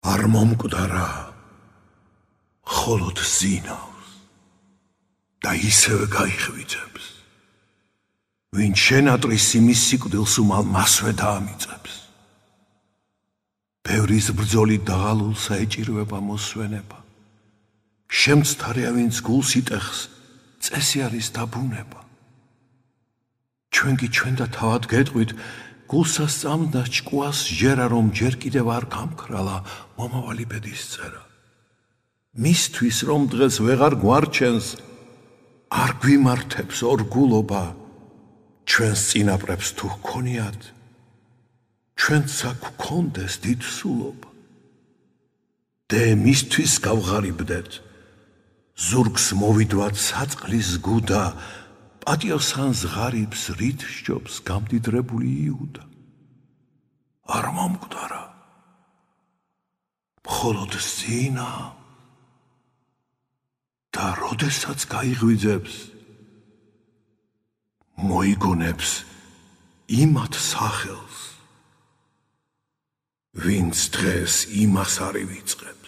არ მომკვდარა, მხოლოდ ზინავს და ისევე გაიხვიძებს. ვინც შენატრის იმის სიკვდილს უმალ მასვე დაამიწებს. ბევრის ბრძოლით დაღალულსა ეჭირვება მოსვენება. შემცთარია ვინც გულს იტეხს, წესი არის დაბუნება. ჩვენ კი ჩვენ და თავად გეტყვით, გულსა სწამდა ჭკუას ჟერა, რომ ჯერ კიდევ არ გამქრალა მომავალი ბედის წერა. მისთვის რომ დღეს ვეღარ გვარჩენს, არ გვიმართებს ორგულობა, ჩვენს წინაპრებს თუ ჰქონიათ, ჩვენც აქ გვქონდეს დიდ სულობა. დე მისთვის გავღარიბდეთ, ზურგს მოვიდვათ საწყლის გუდა, პატიოსანს ღარიბს რით სჯობს გამდიდრებული იუდა. არ მომკვდარა, მხოლოდ ზინა და როდესაც გაიღვიძებს, მოიგონებს იმათ სახელს, ვინც დღეს იმას არ ივიწყებს.